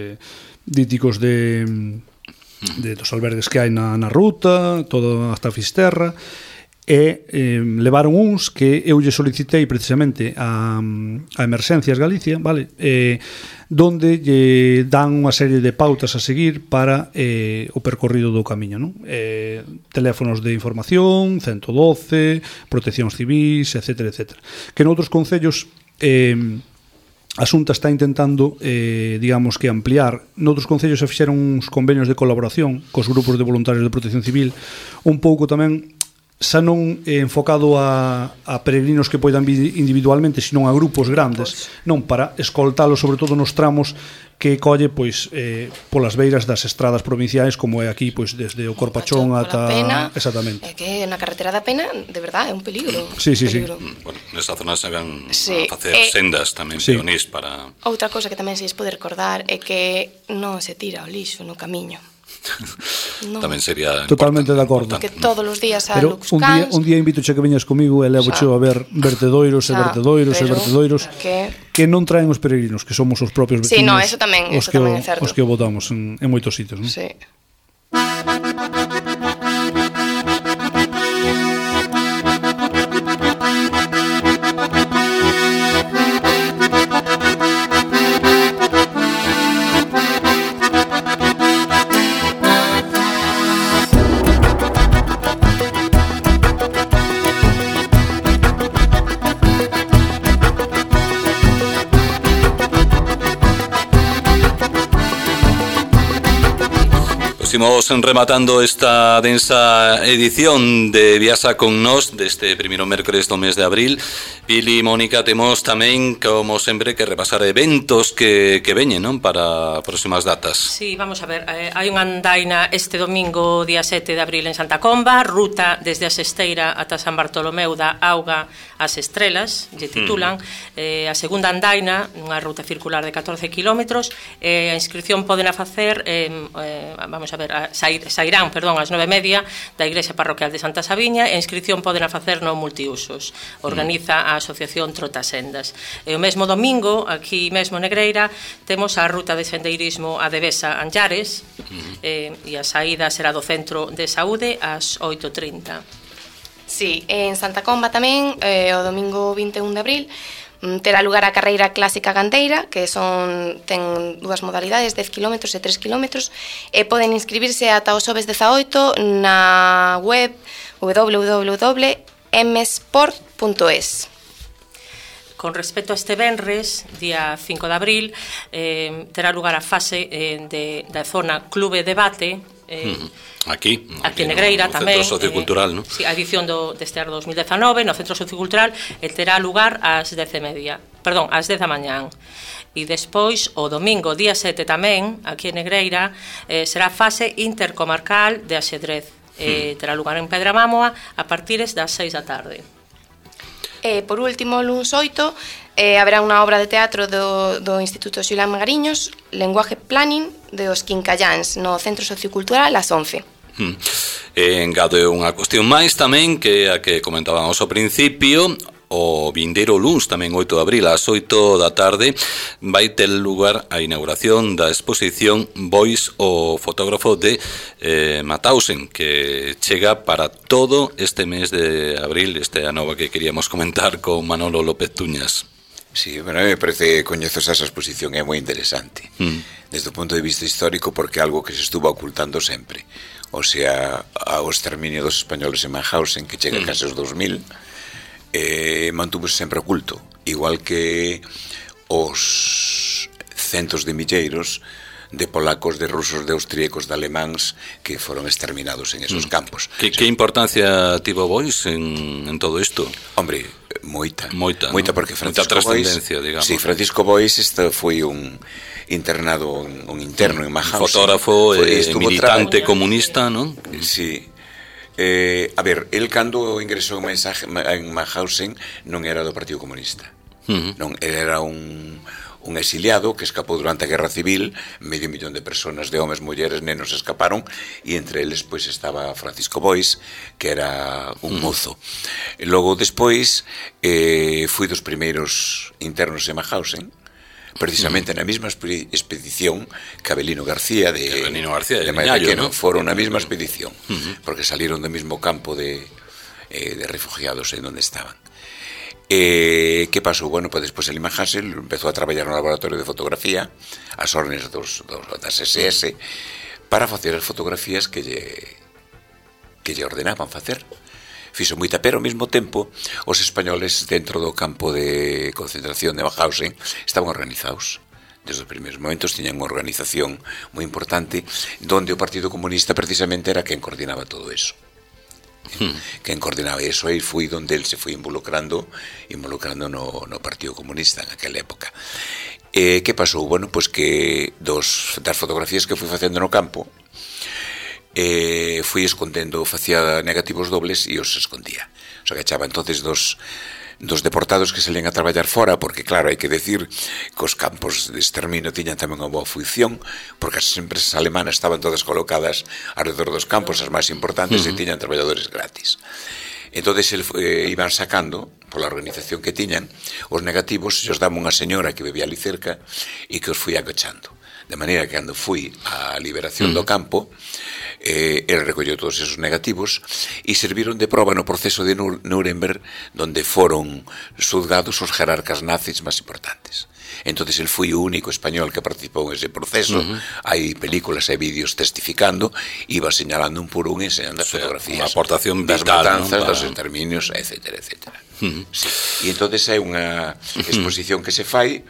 [SPEAKER 4] díticos dos albergues que hai na ruta, todo hasta Fisterra, e levaron uns que eu lle solicitei precisamente a Emerxencias Galicia, vale, donde lle dan unha serie de pautas a seguir para o percorrido do camiño, non? Teléfonos de información, 112, proteccións civis, etcétera, etcétera. Que noutros concellos a Xunta está intentando, digamos que ampliar. Noutros concellos se fixeron uns convenios de colaboración cos grupos de voluntarios de protección civil, un pouco tamén xa non enfocado a peregrinos que poidan vir individualmente, senón a grupos grandes, non, para escoltalos sobre todo nos tramos que colle pois polas beiras das estradas provinciais, como é aquí, pois desde o Corpachón ata
[SPEAKER 3] Pena,
[SPEAKER 4] exactamente.
[SPEAKER 3] É que na carretera da Pena, de verdade, é un peligro.
[SPEAKER 4] Sí.
[SPEAKER 1] Bueno, nesta zona se van a facer sendas tamén peonís para...
[SPEAKER 3] Outra cosa que tamén se pode recordar é que non se tira o lixo no camiño.
[SPEAKER 1] No. Tamén sería
[SPEAKER 4] totalmente de acordo.
[SPEAKER 3] Que todos os días a
[SPEAKER 4] Pero un día invito che que veñas comigo e levo che a ver vertedoiros que non traen os peregrinos, que somos os propios vecinos.
[SPEAKER 3] Sí, no, eso tamén é certo.
[SPEAKER 4] Os que o botamos en moitos sitios, non?
[SPEAKER 3] Sí.
[SPEAKER 1] Imos rematando esta densa edición de Viasa con Nós deste primeiro mércores do mes de abril. Pili e Mónica, temos tamén, como sempre, que repasar eventos que veñen, non? Para próximas datas.
[SPEAKER 2] Sí, vamos a ver, hai unha andaina este domingo, día 7 de abril en Santa Comba, ruta desde a Sesteira ata San Bartolomeu da Auga ás Estrelas, lle titulan. A segunda andaina, unha ruta circular de 14 kilómetros, a inscripción poden a facer, vamos a ver, sairán, ás 9:30 da Igrexa Parroquial de Santa Sabiña, e a inscripción poden a facer no multiusos. Organiza a Asociación Trotasendas. E o mesmo domingo, aquí mesmo Negreira, temos a ruta de sendeirismo a Devesa Anllares, e a saída será do Centro de Saúde ás 8:30.
[SPEAKER 3] Sí, en Santa Comba tamén, o domingo 21 de abril, terá lugar a carreira clásica gandeira, que ten dúas modalidades, 10 km e 3 km, e poden inscribirse ata o xoves 18 na web www.msport.es.
[SPEAKER 2] Con respecto a este venres, día 5 de abril, terá lugar a fase da zona Clube Debate,
[SPEAKER 1] aquí
[SPEAKER 2] en Negreira
[SPEAKER 1] no
[SPEAKER 2] tamén,
[SPEAKER 1] Centro Sociocultural, ¿no?
[SPEAKER 2] Sí, a edición deste ano 2019 no Centro Sociocultural, terá lugar ás 10:30, ás 10 da mañán. E despois, o domingo, día 7 tamén, aquí en Negreira, será a fase intercomarcal de axedrez. Terá lugar en Pedra Mámoa a partires das 6 da tarde.
[SPEAKER 3] Por último, luns 8, haberá unha obra de teatro do Instituto Xulán Magariños, Lenguaje Planning, de os Quincallans, no Centro Sociocultural, ás 11.
[SPEAKER 1] Engado unha cuestión máis tamén, que a que comentábamos ao principio. O vindeiro luns, tamén 8 de abril, ás 8 da tarde, vai ter lugar a inauguración da exposición Bois, o fotógrafo de Mauthausen, que chega para todo este mes de abril, este a nova que queríamos comentar con Manolo López Tuñas.
[SPEAKER 5] Sí, bueno, me parece, coñezo esa exposición, é moi interesante, desde o punto de vista histórico, porque é algo que se estuvo ocultando sempre, o sea, ao exterminio dos españoles en Mauthausen, que chega case aos 2000, mantúvose sempre oculto, igual que os centos de milleiros de polacos, de rusos, de austríacos, de alemáns que foron exterminados en esos campos.
[SPEAKER 1] Que importancia tivo Bois en todo isto?
[SPEAKER 5] Hombre, moita, porque
[SPEAKER 1] Francisco Bois, digamos.
[SPEAKER 5] Sí, Francisco Bois foi un internado, un interno en Mauthausen.
[SPEAKER 1] Fotógrafo, militante comunista, non?
[SPEAKER 5] Sí. A ver, el cando ingresou en Mauthausen non era do Partido Comunista, non, era un exiliado que escapou durante a Guerra Civil, 500,000 de personas, de homes, mulleres, nenos escaparon, e entre eles pois estaba Francisco Bois, que era un mozo. E logo despois fui dos primeiros internos en Mauthausen, precisamente na mesma expedición que Avelino García de Miñallo, ¿no? Foron na mesma expedición, porque salieron do mesmo campo de refugiados en onde estaban. Que pasou? Bueno, pues despois el Hansel empezou a traballar no laboratorio de fotografía as órdenes das SS para facer as fotografías que lle ordenaban facer. Fixo moita, pero ao mesmo tempo os españoles dentro do campo de concentración de Mauthausen estaban organizados. Desde os primeiros momentos tiñan unha organización moi importante, donde o Partido Comunista precisamente era quen coordinaba todo eso. Quen coordinaba eso, e foi donde el se foi involucrando no Partido Comunista en aquela época. Que pasou? Bueno, pois que das fotografías que fui facendo no campo, fui escondendo, facía negativos dobles e os escondía. O sea, que echaba entonces dos deportados que salían a traballar fora, porque claro, hai que decir que os campos de exterminio tiñan tamén unha boa función, porque as empresas alemanas estaban todas colocadas alrededor dos campos, as máis importantes, e tiñan traballadores gratis. Entonces iban sacando, pola organización que tiñan, os negativos, e os daba unha señora que bebía ali cerca e que os fui acochando. De maneira que cando fui á liberación do campo, el recolleu todos esos negativos e serviron de proba no proceso de Nuremberg, donde foron xulgados os jerarcas nazis máis importantes. Entonces el foi o único español que participou en ese proceso. Hai películas e vídeos testificando, iba señalando un por un, enseñando as fotografías,
[SPEAKER 1] unha aportación
[SPEAKER 5] das
[SPEAKER 1] vital,
[SPEAKER 5] matanzas,
[SPEAKER 1] ¿no?
[SPEAKER 5] dos exterminios, etcétera, etcétera. Sí. E entonces hai unha exposición que se fai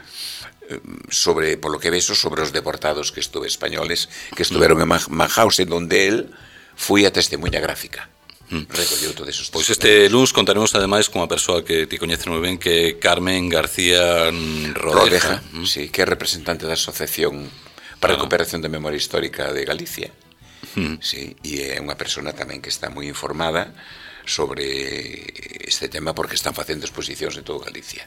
[SPEAKER 5] sobre, polo que vexo, sobre os deportados que estuve españoles que estuveron en Mauthausen, donde él foi a testemunha gráfica. Recolleu todos esos
[SPEAKER 1] Pois este luns contaremos ademais con unha persoa que ti coñece moi ben, que é Carmen García Rodeja.
[SPEAKER 5] Sí, que é representante da Asociación para a Recuperación da Memoria Histórica de Galicia. Sí, e é unha persona tamén que está moi informada sobre este tema porque están facendo exposicións en todo Galicia.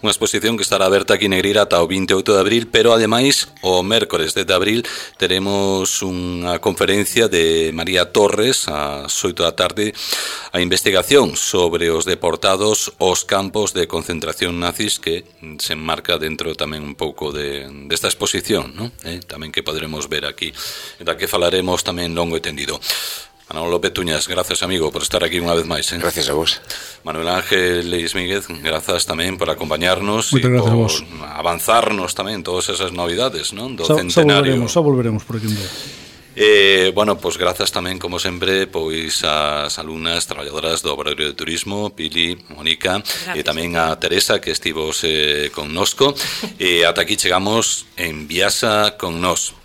[SPEAKER 1] Unha exposición que estará aberta aquí en Negreira ata o 28 de abril, pero ademais o mércores 10 de abril teremos unha conferencia de María Torres ás 8 da tarde, a investigación sobre os deportados aos campos de concentración nazis, que se enmarca dentro tamén un pouco desta exposición, ¿no? Tamén que podremos ver aquí, da que falaremos tamén longo e tendido. Manolo López Tuñas, gracias amigo por estar aquí unha vez máis.
[SPEAKER 5] Gracias a vos.
[SPEAKER 1] Manuel Ángel Leis Míguez, grazas tamén por acompañarnos
[SPEAKER 4] e por
[SPEAKER 1] avanzarnos tamén todas esas novidades, non? Do centenario.
[SPEAKER 4] Xa volveremos por aquí un día.
[SPEAKER 1] Bueno, pois grazas tamén, como sempre, pois as alumnas traballadoras do Obradoiro de Turismo, Pili, Mónica, e tamén a Teresa, que estivos connosco. E ata aquí chegamos en Viasa con Nós.